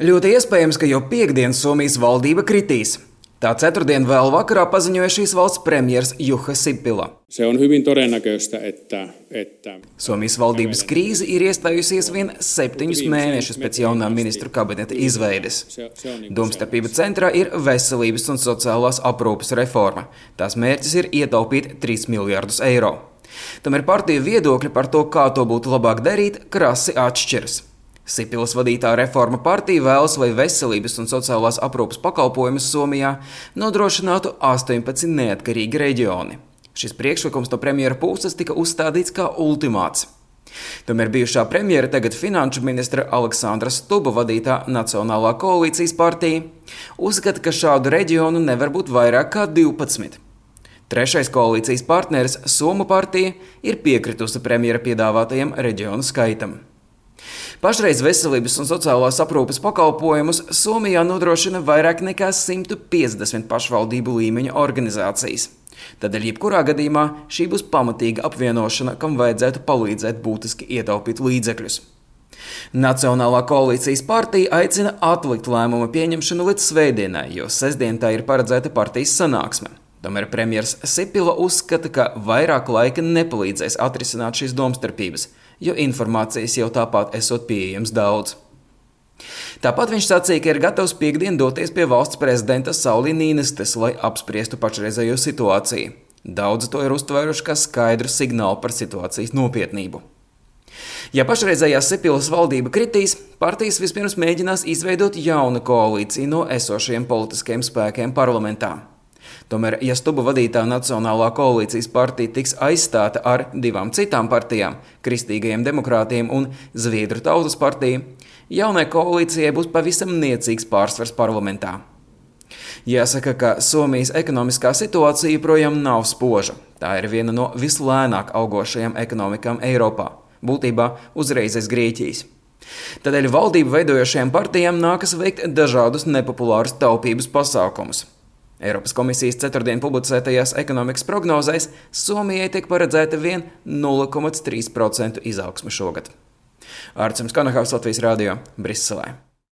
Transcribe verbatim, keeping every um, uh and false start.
Ļoti iespējams, ka jau piektdien Somijas valdība kritīs. Tā ceturtdien vēl vakarā paziņoja šīs valsts premjers Juha Sipilä. Se on hyvin todennäköistä, että, että... Somijas valdības krīze ir iestājusies vien septiņus mēnešus pēc jaunā ministru kabineta izveides. Domstarpība centrā ir veselības un sociālās aprūpes reforma. Tās mērķis ir ietaupīt trīs miljardus eiro. Tomēr partiju viedokļi par to, kā to būtu labāk darīt, krasi atšķiras. Sipilas vadītā reforma partija vēlas, lai veselības un sociālās aprūpes pakalpojumus Somijā nodrošinātu astoņpadsmit neatkarīgi reģioni. Šis priekšlikums no premjera puses tika uzstādīts kā ultimāts. Tomēr bijušā premjera, tagad finanšu ministra Aleksandra Stuba vadītā Nacionālā koalīcijas partija uzskata, ka šādu reģionu nevar būt vairāk kā divpadsmit. Trešais koalīcijas partneris, Somu partija, ir piekritusi premjera piedāvātajam reģionu skaitam. Pašreiz veselības un sociālās aprūpes pakalpojumus Somijā nodrošina vairāk nekā simt piecdesmit pašvaldību līmeņa organizācijas. Tādēļ jebkurā gadījumā šī būs pamatīga apvienošana, kam vajadzētu palīdzēt būtiski ietaupīt līdzekļus. Nacionālā koalīcijas partija aicina atlikt lēmumu pieņemšanu līdz svētdienai, jo sestdien tā ir paredzēta partijas sanāksme. Tomēr premjers Sipilä uzskata, ka vairāk laika nepalīdzēs atrisināt šīs domstarpības, jo informācijas jau tāpat esot pieejams daudz. Tāpat viņš sacīja, ka ir gatavs piektdien doties pie valsts prezidenta Sauli Nīnistes, lai apspriestu pašreizējo situāciju. Daudzi to ir uztvēruši kā skaidru signālu par situācijas nopietnību. Ja pašreizējā Sipilas valdība kritīs, partijas vispirms mēģinās izveidot jaunu koalīciju no esošajiem politiskiem spēkiem parlamentā. Tomēr, ja Stuba vadītā Nacionālā koalīcijas partija tiks aizstāta ar divām citām partijām – Kristīgajiem demokrātiem un Zviedru tautas partiju, jaunai koalīcijai būs pavisam niecīgs pārsvars parlamentā. Jāsaka, ka Somijas ekonomiskā situācija joprojām nav spoža. Tā ir viena no vislēnāk augošajām ekonomikām Eiropā, būtībā uzreiz aiz Grieķijas. Tādēļ valdību veidojošajām partijām nākas veikt dažādus nepopulārus taupības pasākumus. Eiropas komisijas ceturtdien publicētajās ekonomikas prognozēs Somijai tiek paredzēta vien nulle komats trīs procenti izaugsme šogad. Ārts Kanahavs, Latvijas radio, Briselē.